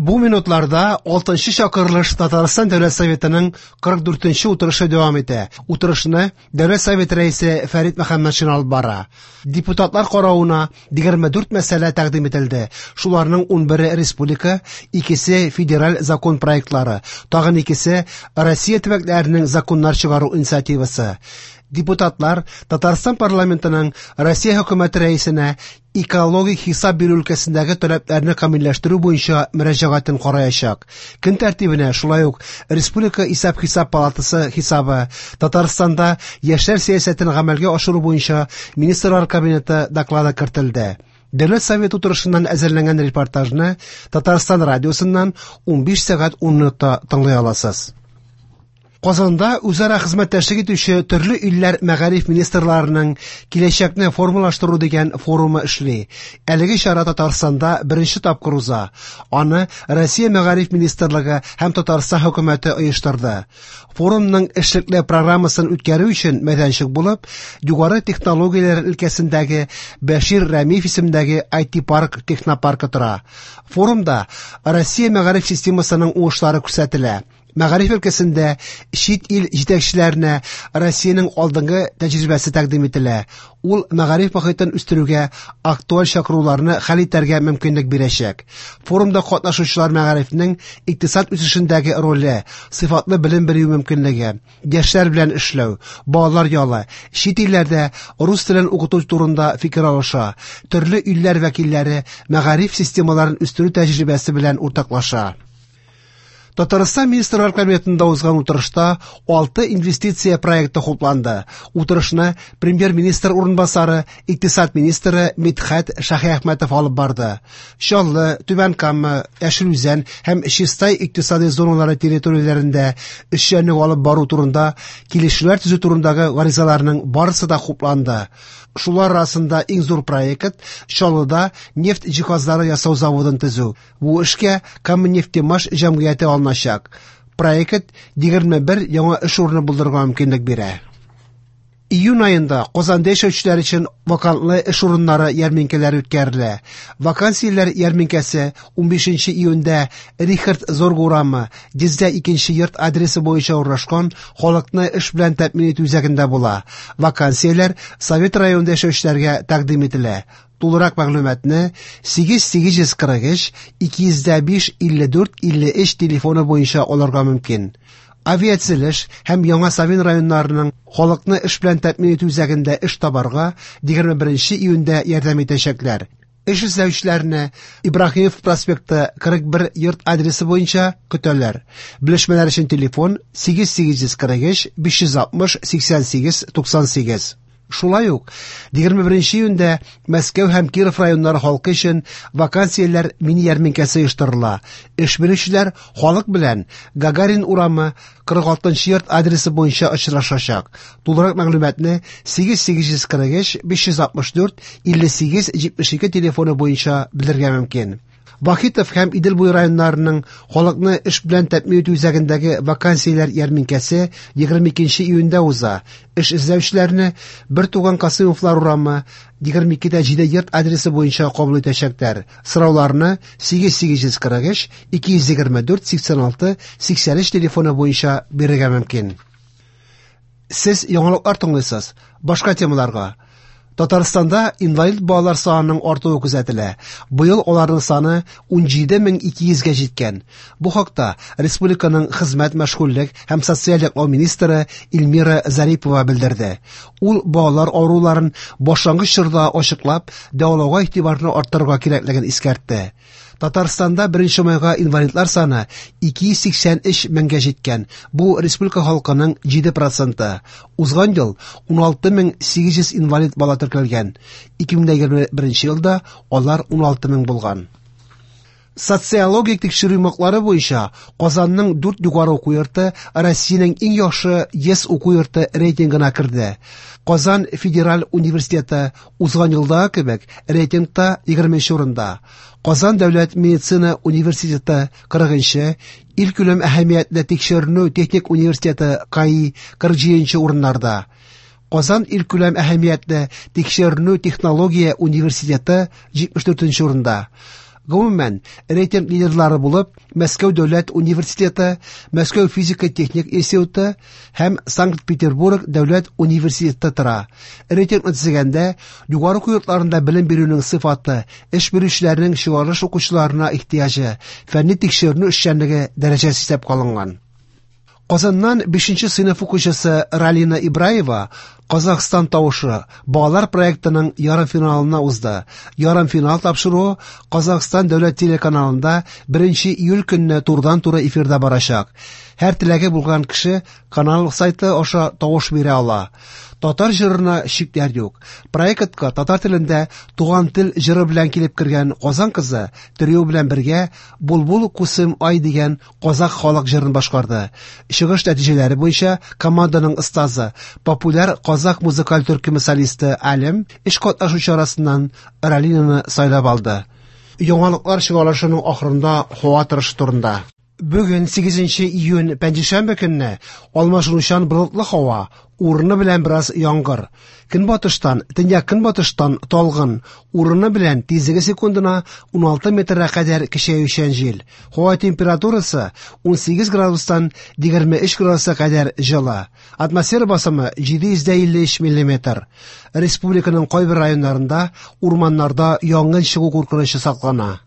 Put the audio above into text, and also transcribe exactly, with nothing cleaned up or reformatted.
Бу минутларда алтынчы чакырылыш Татарстан Дәүләт Советының кырык дүртенче утырышы дәвам итә. Утырышны Дәүләт Советы рәисе Фәрит Мөхәммәтшин алып бара. Депутатлар каравына егерме дүрт мәсьәлә тәкъдим ителде. Шуларның унбере республика, икесе федераль закон проектлары, тагын икесе Россия төбәкләренең законнар чыгару инициативасы. Депутатлар Татарстан парламентының Россия хөкүмәте рәисенә экологик хисап бирү өлкәсендәге таләпләрне камилләштерү буенча мөрәҗәгатен караячак. Көн тәртибенә шулай ук Республика исәп-хисап палатасы хисабы, Татарстанда яшьләр сәясәтен гамәлгә ашыру буенча Министрлар Кабинеты доклады кертелде. Дәүләт Советы утырышыннан әзерләнгән репортажны Татарстан радиосыннан унбиш сәгать ун минутта тыңлый аласыз. Казанда үзара хезмәттәшлек итүче төрле илләр мәгариф министрларының киләчәкне формалаштыру дигән форумы эшли. Әлеге чара Татарстанда беренче тапкыр уза. Аны Россия мәгариф министрлыгы һәм Татарстан хөкүмәте оештырды. Форумның эшлекле программасын үткәрү өчен мәйданчык булып, югары технологияләр өлкәсендәге Бәшир Рәмиев исемендәге ай ти парк технопаркы тора. Форумда Россия мәгариф системасының уңышлары күрсәтелә. Мәгариф өлкәсендә чит ил җитәкчеләренә Россиянең алдынгы тәҗрибәсе тәкъдим ителә. Ул мәгариф мохитен үстерүгә актуаль чакыруларны хәл итәргә мөмкинлек бирәчәк. Форумда катнашучылар мәгарифнең икътисад үсешендәге роле, сыйфатлы белем бирү мөмкинлеге, яшьләр белән эшләү, балалар ялы, чит илләрдә рус телен укыту турында фикер алыша, төрле илләр вәкилләре мәгариф системаларын үстерү тәҗрибәсе белән уртаклаша. Татарстан Министрлар Кабинетында узган утырышта алты инвестиция проекты хупланды. Утырышны премьер-министр урынбасары, икътисад министры Мидхәт Шаһиәхмәтов алып барды. Чаллы, Түбән Кама, Яшел Үзән һәм Чистай икътисади зоналары территорияләрендә эшчәнлек алып бару турында килешүләр төзү турындагы гаризаларның барысы да хупланды. Шулар арасында иң зур проект Чаллыда нефть җиһазлары ясау заводын төзү. Бу эшкә Камнефтемаш җәмгыяте алыначак. Проект егерме бер яңа эш урыны булдырырга мөмкинлек бирә. Июнь аенда Казанда яшәүчеләр өчен вакантлы эш урыннары ярминкәләре үткәрелә. Вакансияләр ярминкәсе унбишенче июньдә Рихард Зорг урамы, йөздә икенче йорт адресы буенча урнашкан халыкны эш белән тәэмин итү үзәгендә була. Вакансияләр Совет районында яшәүчеләргә тәкъдим ителә. Тулырак мәгълүматны сигез сигез йөз кырык өч, ике йөз дә биш, илле дүрт, илле өч телефоны буенча алырга мөмкин. Авиацелеш һәм Яңа Савин районнарының халыкны эш белән тәэмин итү үзәгендә эш табарга егерме беренче июньдә ярдәм итәчәкләр. Эш эзләүчеләрне Ибраһимов проспекты кырык бер йорт адресы буенча көтәләр. Белешмәләр өчен телефон сигез сигез йөз кырык өч, биш йөз алтмыш, сиксән сигез, туксан сигез. Шулай ук егерме беренче июньдә Мәскәү һәм Киров районнары халкы өчен вакансияләр мини ярминкәсе оештырыла. Эш бирүчеләр халык белән Гагарин урамы кырык алтынчы йорт адресы буенча очрашачак. Тулырак мәгълүматны сигез сигез йөз кырык өч, биш йөз алтмыш дүрт, илле сигез, җитмеш ике телефоны буенча белергә мөмкин. Вахитов һәм Идел буе районнарының халыкны эш белән тәэмин итү үзәгендәге вакансияләр ярминкәсе егерме икенче июньдә уза. Эш эзләүчеләрне Бер туган Касыймовлар урамы егерме икедә җиде йорт адресы буенча кабул итәчәкләр. Сорауларны сигез сигез йөз кырык өч, ике йөз егерме дүрт, сиксән алты, сиксән өч телефоны буенча бирергә мөмкин. Сез яңалыклар тыңлыйсыз. Башка темаларга. Татарстанда инвалид балалар санының артуы күзәтелә. Быел аларның саны ун җиде мең ике йөзгә җиткән. Бу хакта республиканың хезмәт, мәшгульлек һәм социаль яклау министры Эльмира Зарипова белдерде. Ул балалар авыруларын башлангыч чорда ачыклап, дәвалауга игътибарны арттырырга кирәклеген искәртте. Татарстанда беренче майга инвалидлар саны ике йөз сиксән өч меңгә җиткән. Бу республика халкының җиде проценты. Узган ел ун алты мең сигез йөз инвалид бала теркәлгән. Ике мең егерме беренче елда алар ун алты мең булган. Социологик тикшерү йомгаклары буенча Казанның дүрт югары уку йорты Россиянең иң яхшы йөз уку йорты рейтингына керде. Казан федераль университеты узган елдагы кебек рейтингта егерменче урында. Казан дәүләт медицина университеты кырыгынчы, илкүләм әһәмиятле тикшеренү техник университеты КАИ кырык җиденче урыннарда. Казан илкүләм әһәмиятле тикшеренү технология университеты җитмеш дүртенче урында. Гомумән, рейтинг лидерлары булып Мәскәү дәүләт университеты, Мәскәү физика-техник институты һәм Санкт-Петербург дәүләт университеты тора. Рейтингны төзегәндә югары уку йортларында белем бирүнең сыйфаты, эш бирүчеләрнең чыгарылыш укучыларына ихтыяҗы, фәнни тикшеренү эшчәнлеге дәрәҗәсе исәпкә алынган. Казаннан бишенче сыйныф укучысы Ралина Ибраева «Казахстан тавышы» балалар проектының ярымфиналына узды. Ярымфинал тапшыруы Казахстан дәүләт телеканалында беренче июль көнне турыдан-туры эфирда барачак. Һәр теләге булган кеше канал сайты аша тавыш бирә ала. Татар җырына чикләр юк. Проектка татар телендә «Туган тел» җыры белән килеп кергән Казан кызы трио белән бергә «Булбул кусым ай» дигән казах халык җырын башкарды. Чыгыш нәтиҗәләре буенча команданың остазы, популяр казах музыкаль төркеме солисты Алем өч катнашучы арасыннан Ралинаны сайлап алды. Яңалыклар чыгарылышының ахырында һава торышы турында. Бүген сигезенче июнь пәнҗешәмбе көнне алмашынучан болытлы һава, урыны белән бераз яңгыр. Көнбатыштан, төньяк көнбатыштан талгын, урыны белән тизлеге секундына уналты метрга кадәр көчәючән җил. Һава температурасы унсигез градустан егерме өч градуска кадәр җылы. Атмосфера басымы җиде йөз илле өч миллиметр. Республиканың кайбер районнарында урманнарда янгын чыгу куркынычы саклана.